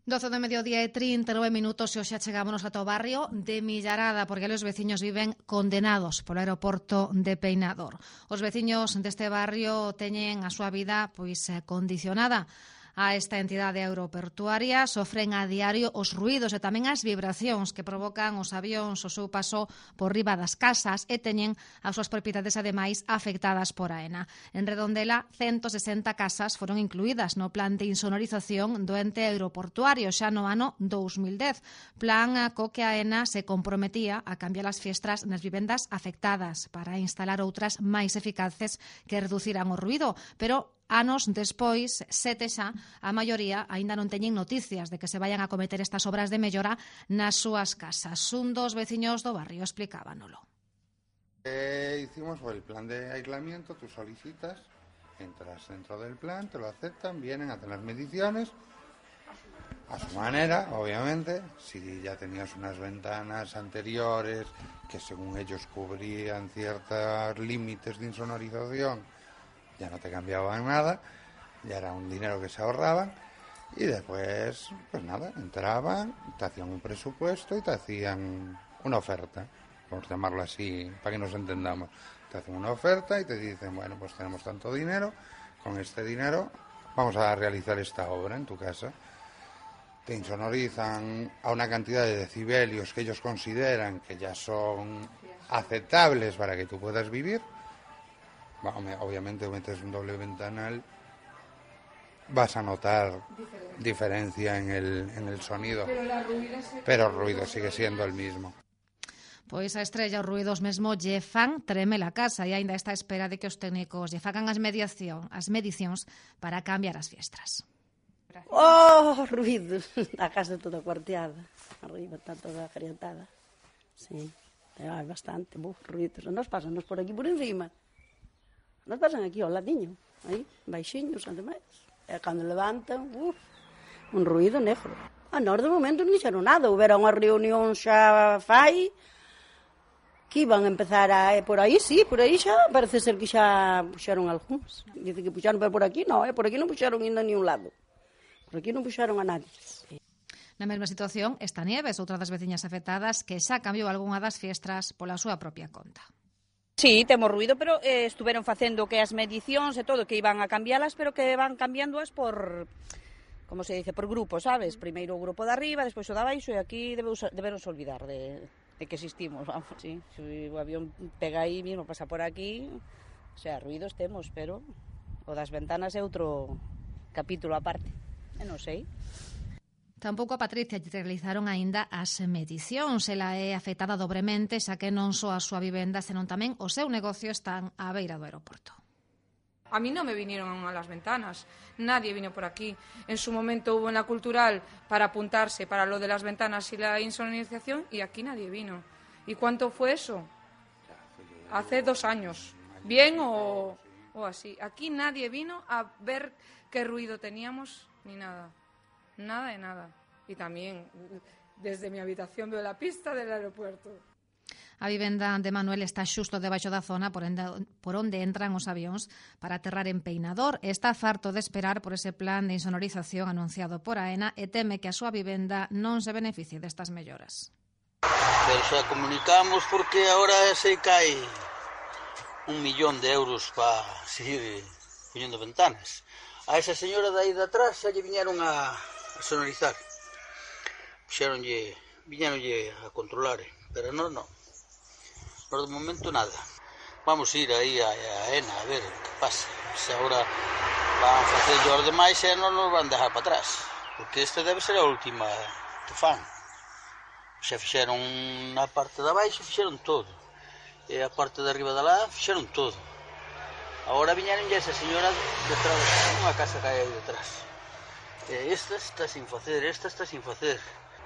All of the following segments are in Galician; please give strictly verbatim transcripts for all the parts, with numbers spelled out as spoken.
doce do mediodía e trinta e nove minutos e hoxe chegámonos ata o barrio de Millarada porque os veciños viven condenados polo aeroporto de Peinador. Os veciños deste barrio teñen a súa vida pois condicionada a esta entidade aeroportuaria, sofren a diario os ruídos e tamén as vibracións que provocan os avións o seu paso por riba das casas e teñen as súas propiedades ademais afectadas por Aena. En Redondela, ciento sesenta casas foron incluídas no plan de insonorización do ente aeroportuario xa no ano dous mil dez, plan co que Aena se comprometía a cambiar as fiestras nas vivendas afectadas para instalar outras máis eficaces que reduciran o ruído, pero anos despois, sete xa, a maioría aínda non teñen noticias de que se vayan a cometer estas obras de mellora nas súas casas. Un dos veciños do barrio explicábanolo. Eh, hicimos el plan de aislamiento, tú solicitas, entras dentro del plan, te lo aceptan, vienen a hacer las mediciones, a su manera, obviamente. Si ya tenías unas ventanas anteriores que según ellos cubrían ciertos límites de insonorización, ya no te cambiaban nada, ya era un dinero que se ahorraban y después, pues nada, entraban, te hacían un presupuesto y te hacían una oferta, por llamarlo así, para que nos entendamos. Te hacen una oferta y te dicen, bueno, pues tenemos tanto dinero, con este dinero vamos a realizar esta obra en tu casa. Te insonorizan a una cantidad de decibelios que ellos consideran que ya son aceptables para que tú puedas vivir. Obviamente metes un doble ventanal, vas a notar diferencia en el, en el sonido, pero, la ruido se... pero el ruido sigue siendo el mismo. Pois a estrella os ruidos mesmo lle fan treme la casa e aínda está a espera de que os técnicos lle fagan as mediación, as medicións para cambiar as fiestras. Oh, ruidos, a casa toda cuarteada, arriba está toda agrientada, sí, hai bastante, buf, ruidos, nos pásanos por aquí por encima. Nos pasan aquí ao ladiño, aí, baixiños, ademais. E cando levantan, uf, un ruído negro. A nós de momento non dixeron nada, houbera unha reunión xa fai, que iban a empezar a... Por aí sí, por aí xa, parece ser que xa puxeron algúns. Dice que puxeron, pero por aquí non, eh? Por aquí non puxeron ainda ni un lado. Por aquí non puxeron a nadie. Na mesma situación está Nieves, outra das veciñas afectadas, que xa cambiou algunha das fiestras pola súa propia conta. Sí, temos ruido, pero eh, estuveron facendo que as medicións e todo, que iban a cambialas, pero que van cambiándoas por, como se dice, por grupos, sabes? Primeiro o grupo de arriba, despois o de abaixo, e aquí debemos, debemos olvidar de, de que existimos, vamos, sí. Se o avión pega aí mismo, pasa por aquí, o sea, ruidos temos, pero o das ventanas é outro capítulo aparte, e non sei. Tampouco a Patricia realizaron aínda as medicións. Ela é afectada dobremente, xa que non só a súa vivenda, senón tamén o seu negocio están á beira do aeroporto. A mí no me vinieron a las ventanas, nadie vino por aquí. En su momento hubo en la cultural para apuntarse para lo de las ventanas y la insonorización y aquí nadie vino. ¿Y cuánto fue eso? Hace dos años. ¿Bien o, o así? Aquí nadie vino a ver qué ruido teníamos ni nada. Nada de nada. Y también desde mi habitación veo la pista del aeropuerto. A vivenda de Manuel está xusto debaixo da zona por onde entran os avións para aterrar en Peinador. Está farto de esperar por ese plan de insonorización anunciado por Aena e teme que a súa vivenda non se beneficie destas melloras. Pero xa comunicamos porque agora se cae un millón de euros para seguir poñendo ventanas. A esa señora de aí de atrás xa lle viñeron a sonorizar. Puxeronlle, viñeronlle a controlar, pero non, non. Por de momento nada. Vamos a ir aí a, a Aena a ver que pasa. Se agora van a facer os demais e non nos van dejar para atrás. Porque esta debe ser a última que fan. Xa fixeron na parte de abaixo, fixeron todo. E a parte de arriba de lá, fixeron todo. Agora viñeron ya esa señora detrás de unha casa que hai aí detrás. E esta está sin facer, esta está sin facer.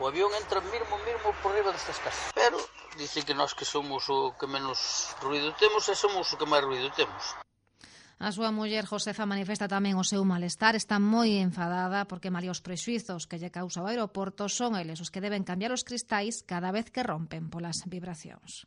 O avión entra mesmo, mesmo por riba destas casas. Pero dice que nós que somos o que menos ruido temos e somos o que máis ruido temos. A súa muller Josefa manifesta tamén o seu malestar, está moi enfadada porque malia os prexuizos que lle causa o aeroporto son eles os que deben cambiar os cristais cada vez que rompen polas vibracións.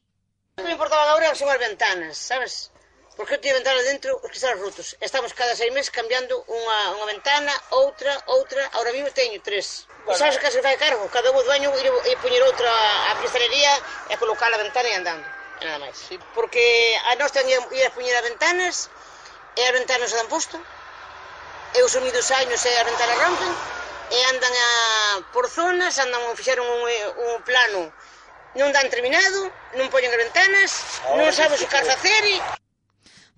Non me importaba agora son as ventanas, sabes? porque eu tiña ventana dentro, os cristales rotos. Estamos cada seis meses cambiando unha, unha ventana, outra, outra, ahora mismo teño tres. E sabes que se fai cargo? Cada un do año e poñer outra a cristalería e colocar a ventana e andando, e nada máis. Porque a nós teñen ir a poñer as ventanas, e as ventanas se dan posto, e os unidos años e as ventanas rompen, e andan a, por zonas, andan, fixeron un, un plano, non dan terminado, non poñen as ventanas, non sabes o que facer e...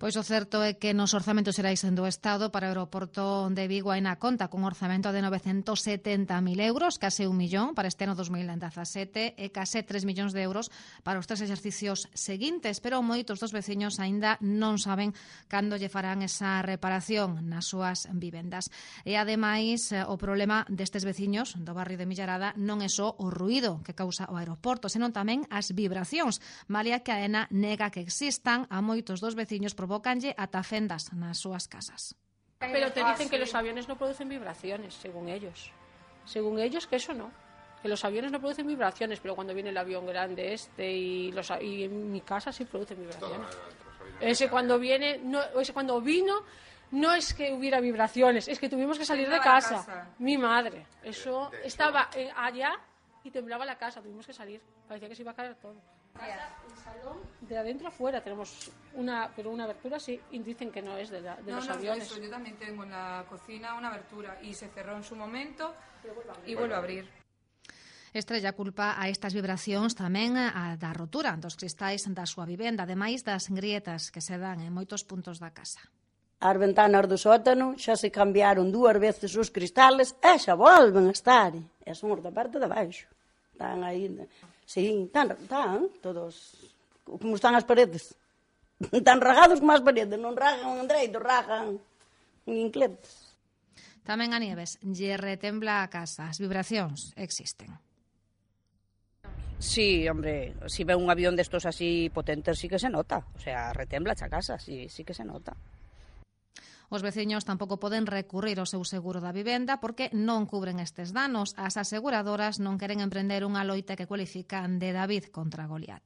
Pois o certo é que nos orzamentos xerais do Estado para o aeroporto de Vigo aínda conta cun orzamento de novecentos setenta mil euros, case un millón para este ano dos mil dezasete e case tres millóns de euros para os tres exercicios seguintes, pero moitos dos veciños aínda non saben cando lle farán esa reparación nas súas vivendas. E ademais, o problema destes veciños do barrio de Millarada non é só o ruído que causa o aeroporto, senón tamén as vibracións, malia que a AENA nega que existan, a moitos dos veciños provócanlle ata fendas nas súas casas. Pero te dicen que los aviones no producen vibraciones, según ellos. Según ellos, que eso no. Que los aviones no producen vibraciones, pero cuando viene el avión grande este y, los, y en mi casa sí producen vibraciones. Ese cuando viene, no, ese cuando vino, no es que hubiera vibraciones, es que tuvimos que salir de casa. Mi madre, eso estaba allá y temblaba la casa, tuvimos que salir. Parecía que se iba a caer todo. El salón de adentro afuera tenemos una, pero una abertura sí, y dicen que no es de, la, de no, los no, aviones. Eso, yo también tengo en la cocina una abertura y se cerró en su momento y vuelve a abrir. Estrella culpa a estas vibracións tamén a da rotura dos cristais da súa vivenda, ademais das grietas que se dan en moitos puntos da casa. As ventanas do sótano xa se cambiaron dúas veces os cristales e xa volven a estar. E son os da parte de baixo. Están aí... Sí, están, están todos como están as paredes. Están ragados como as paredes, non ragan en dereito, ragan en incletes. Tamén a Nieves lle retembla a casa, as vibracións existen. Sí, hombre, si ve un avión destos así potentes sí que se nota, o sea, retembla a casa, sí, sí que se nota. Os veciños tampouco poden recurrir ao seu seguro da vivenda porque non cubren estes danos. As aseguradoras non queren emprender unha loita que cualifican de David contra Goliat.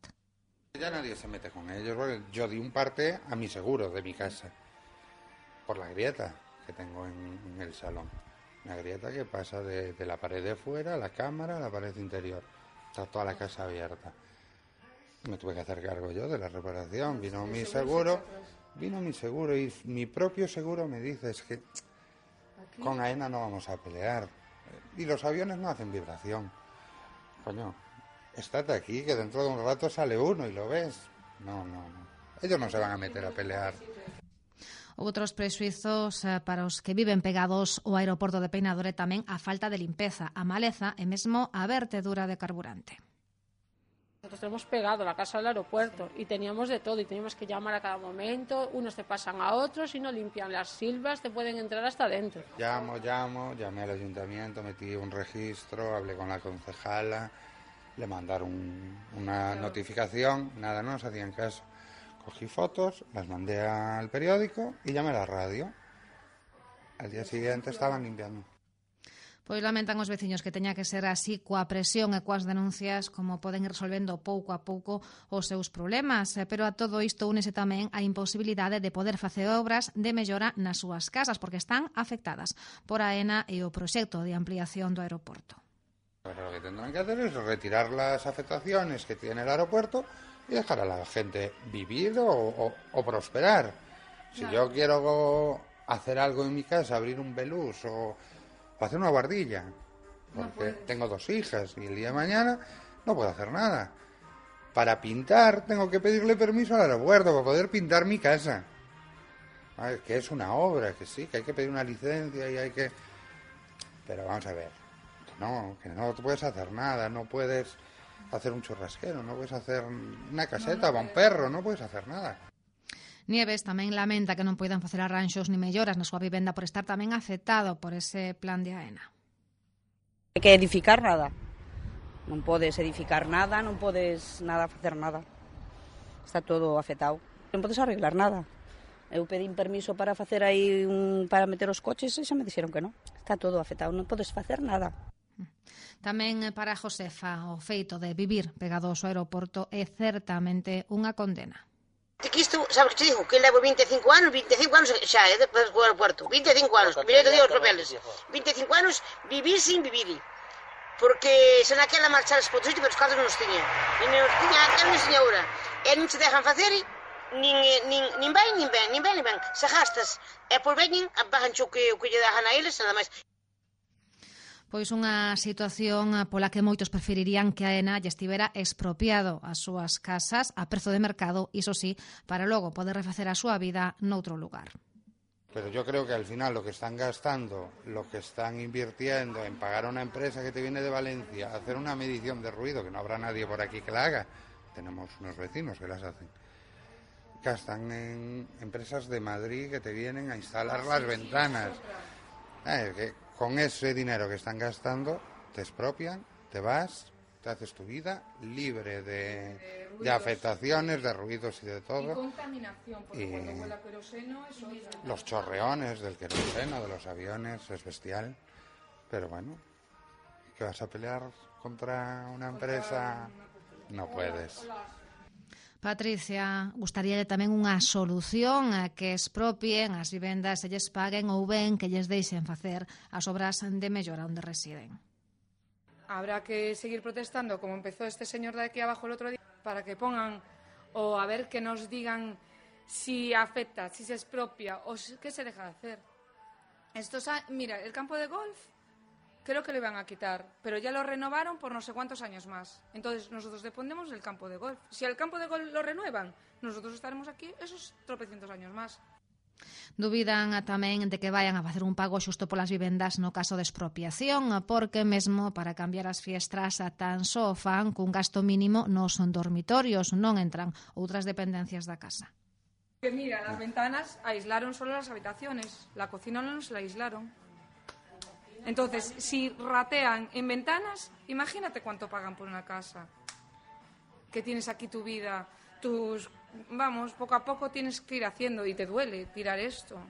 Ya nadie se mete con ellos, porque yo di un parte a mi seguro de mi casa, por la grieta que tengo en, en el salón. Una grieta que pasa de, de la pared de fuera, la cámara, a la pared interior. Está toda la casa abierta. Me tuve que hacer cargo yo de la reparación, vino mi seguro... Vino mi seguro y mi propio seguro me dice es que ¿Aquí? Con AENA no vamos a pelear. Y los aviones no hacen vibración. Coño, estate aquí que dentro de un rato sale uno y lo ves. No, no, no. Ellos no se van a meter a pelear. Outros prexuizos para os que viven pegados ao aeroporto de Peinador é tamén a falta de limpeza, a maleza e mesmo a vertedura de carburante. Nosotros tenemos pegado la casa del aeropuerto y teníamos de todo y teníamos que llamar a cada momento, unos te pasan a otros y no limpian las silvas, te pueden entrar hasta dentro. Llamo, llamo, llamé al ayuntamiento, metí un registro, hablé con la concejala, le mandaron un, una notificación, nada, no nos hacían caso. Cogí fotos, las mandé al periódico y llamé a la radio. Al día siguiente estaban limpiando. Pois lamentan os veciños que teña que ser así coa presión e coas denuncias como poden ir resolvendo pouco a pouco os seus problemas, pero a todo isto únese tamén a imposibilidade de poder facer obras de mellora nas súas casas porque están afectadas por AENA e o proxecto de ampliación do aeroporto. Pero lo que tendrán que hacer es retirar las afectaciones que tiene el aeropuerto y dejar a la gente vivir o, o, o prosperar. Si claro. Yo quiero hacer algo en mi casa, abrir un belús o hacer una guardilla, porque no tengo dos hijas y el día de mañana no puedo hacer nada. Para pintar tengo que pedirle permiso al aeropuerto para poder pintar mi casa. ¿Vale? Que es una obra, que sí, que hay que pedir una licencia y hay que... Pero vamos a ver, que no, que no puedes hacer nada, no puedes hacer un churrasquero, no puedes hacer una caseta para un perro, no puedes hacer nada. Nieves tamén lamenta que non poidan facer arranxos ni melloras na súa vivenda por estar tamén afectado por ese plan de AENA. Hai que edificar nada. Non podes edificar nada, non podes nada facer nada. Está todo afectado. Non podes arreglar nada. Eu pedín permiso para facer aí un, para meter os coches e xa me dixeron que non. Está todo afectado, non podes facer nada. Tamén para Josefa o feito de vivir pegado ao aeroporto é certamente unha condena. Que isto, sabes que te digo? Que levo vinte e cinco anos, vinte e cinco anos xa, é despois do aeropuerto, vinte e cinco anos, que mirei todo os papeles, vinte e cinco anos vivir sin vivir, porque se naquela marchares por outro sitio, pero os cartos non os tiña, nin os tiña aquela nin señora, e non se dejan facer, nin, nin, nin ben, nin ben, nin ben, nin ben, se gastas, e por veñen, bajan o que, o que lle dejan a eles, nada máis. Pois unha situación pola que moitos preferirían que a Aena lle estivera expropiado as súas casas a prezo de mercado, iso sí, para logo poder refacer a súa vida noutro lugar. Pero yo creo que al final lo que están gastando, lo que están invirtiendo en pagar a una empresa que te viene de Valencia, hacer una medición de ruido, que no habrá nadie por aquí que la haga, tenemos unos vecinos que las hacen, gastan en empresas de Madrid que te vienen a instalar las ventanas. Eh, que con ese dinero que están gastando, te expropian, te vas, te haces tu vida libre de, de, de afectaciones, de ruidos y de todo. Y contaminación, porque y cuando huele a queroseno, eso es... Los chorreones del queroseno, de los aviones, es bestial. Pero bueno, ¿que vas a pelear contra una empresa? No puedes. Patricia, gustaríalle tamén unha solución a que expropien as vivendas e lles paguen ou ben que lles deixen facer as obras de mellora onde residen. Habrá que seguir protestando, como empezó este señor de aquí abajo el otro día, para que pongan, o a ver que nos digan si afecta, si se expropia, o qué se deja de hacer. Estos, mira, el campo de golf creo que lo iban a quitar, pero ya lo renovaron por no sé cuántos años más. Entonces nosotros dependemos del campo de golf. Si el campo de golf lo renuevan, nosotros estaremos aquí esos tropecientos años más. Dubidan tamén de que vayan a facer un pago xusto polas vivendas no caso de expropiación, porque mesmo para cambiar as fiestras tan só fan cun gasto mínimo nos dormitorios, non entran outras dependencias da casa. Que mira, las ventanas aislaron solo las habitaciones, la cocina no se la aislaron. Entonces, si ratean en ventanas, imagínate cuánto pagan por una casa. Que tienes aquí tu vida, tus... Vamos, poco a poco tienes que ir haciendo y te duele tirar esto.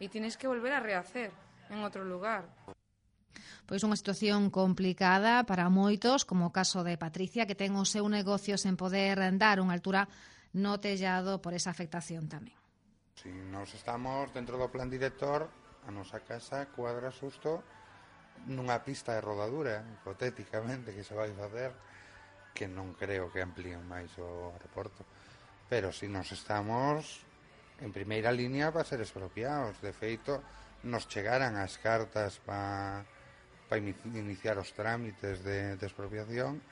Y tienes que volver a rehacer en otro lugar. Pois unha situación complicada para moitos, como o caso de Patricia, que ten o seu negocio sen poder dar unha altura no tellado por esa afectación tamén. Si nos estamos dentro do plan director, a nosa casa cuadra xusto nunha pista de rodadura, hipotéticamente, que se vai facer, que non creo que amplíen máis o aeroporto. Pero si nos estamos en primeira línea para ser expropiados. De feito, nos chegaran as cartas para pa iniciar os trámites de, de expropiación,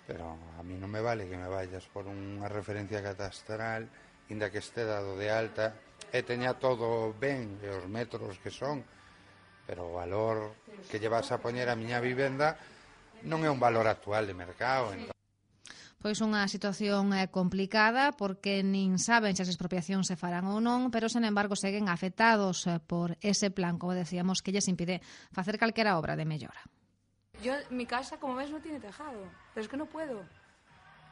pero a mí non me vale que me vayas por unha referencia catastral, inda que este dado de alta, e teña todo ben, e os metros que son, pero o valor que lle vas a poñer a miña vivenda non é un valor actual de mercado. Entón... Pois unha situación complicada, porque nin saben se as expropiacións se farán ou non, pero, sen embargo, seguen afectados por ese plan, como decíamos, que lles impide facer calquera obra de mellora. Yo, mi casa, como ves, no tiene tejado, pero es que no puedo.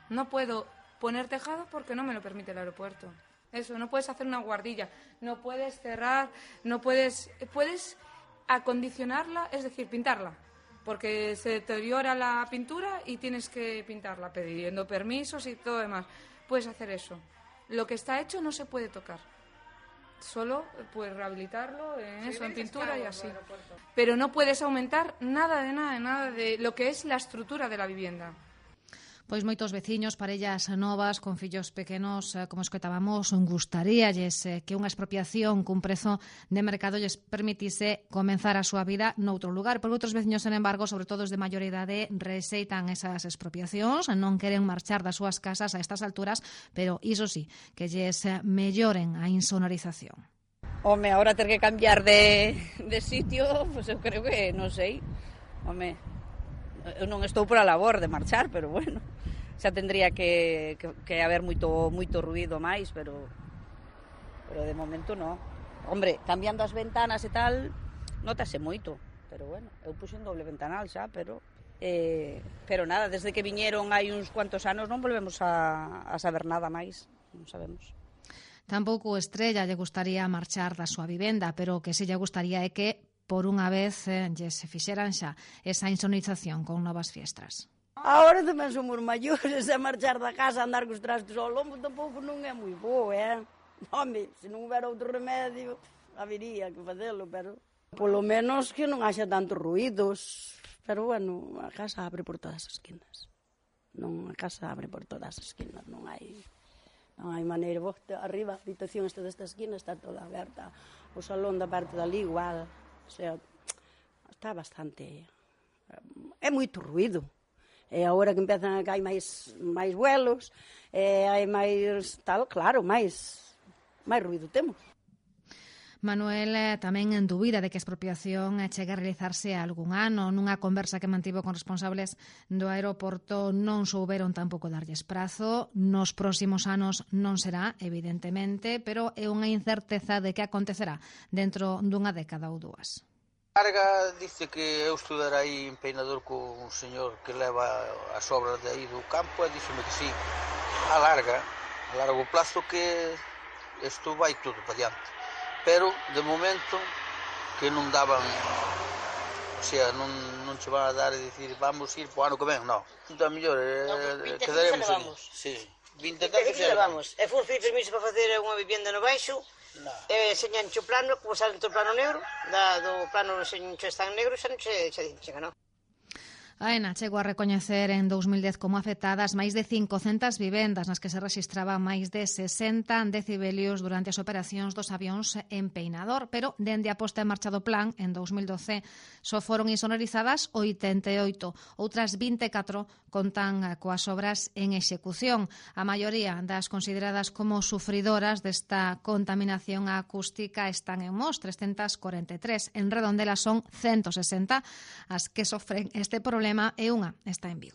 No puedo poner tejado porque no me lo permite el aeropuerto. Eso, no puedes hacer una guardilla, no puedes cerrar, no puedes... Puedes acondicionarla, es decir, pintarla, porque se deteriora la pintura y tienes que pintarla, pidiendo permisos y todo demás. Puedes hacer eso. Lo que está hecho no se puede tocar. Solo puedes rehabilitarlo en eso, en pintura y así. Pero no puedes aumentar nada de nada, nada de lo que es la estructura de la vivienda. Pois moitos veciños, parellas novas con fillos pequenos, como escoitábamos, gustaríalles que unha expropiación cun prezo de mercado lles permitise comenzar a súa vida noutro lugar. Porque outros veciños, sen embargo, sobre todo os de maior idade, rexeitan esas expropiacións, non queren marchar das súas casas a estas alturas, pero iso sí, que lles melloren a insonorización. Home, ahora ter que cambiar de, de sitio, pues eu creo que, non sei, home, eu non estou por a labor de marchar, pero bueno, xa tendría que, que, que haber moito, moito ruido máis, pero pero de momento non. Hombre, cambiando as ventanas e tal, notase moito, pero bueno, eu puxo un doble ventanal xa, pero eh, pero nada, desde que viñeron hai uns cuantos anos non volvemos a, a saber nada máis, non sabemos. Tampouco Estrella lle gustaría marchar da súa vivenda, pero o que se lle gustaría é que por unha vez eh, lle se fixeran xa esa insonorización con novas fiestras. Agora tamén somos maiores, a marchar da casa, a andar cos trastos ao lombo, tampouco non é moi bo, eh? Home, se non houbera outro remedio, habería que facelo, pero... Polo menos que non haxa tantos ruídos, pero, bueno, a casa abre por todas as esquinas. Non, a casa abre por todas as esquinas, non hai... Non hai maneira, vos, arriba, a habitación esta desta esquina está toda aberta, o salón da parte dali igual, o sea, está bastante... É moito ruído, e agora que empezan a caer máis, máis vuelos, e hai máis, tal, claro, máis, máis ruído temos. Manuel eh, tamén en dúbida de que a expropiación eh, chegue a realizarse algún ano. Nunha conversa que mantivo con responsables do aeroporto non souberon tampouco darlles prazo. Nos próximos anos non será, evidentemente, pero é unha incerteza de que acontecerá dentro dunha década ou dúas. Larga dice que eu estudar aí en Peinador con un señor que leva as obras de aí do campo e díxome que sí, a larga, a largo plazo que isto vai tudo para diante. Pero, de momento, que non daban, o sea, non, non che van a dar e dicir vamos ir po ano que ven, non. Entón, mellor, eh, quedaremos ali. Sí, vinte e cinco xa levamos. E fomos pedir permiso para facer unha vivienda no baixo, e señanche o plano, como sale o plano negro, da, do plano señanche está en negro, xa non che, che, che ganó. Aena chegou a recoñecer en dous mil dez como afectadas máis de cincocentas vivendas nas que se rexistraban máis de sesenta decibelios durante as operacións dos avións en Peinador, pero dende a posta en marcha do plan en dous mil doce só foron insonorizadas oitenta e oito, outras vinte e catro contan coas obras en execución. A maioría das consideradas como sufridoras desta contaminación acústica están en Mos, trescentas corenta e tres. En Redondela son ciento sesenta as que sofren este problema e unha está en Vigo.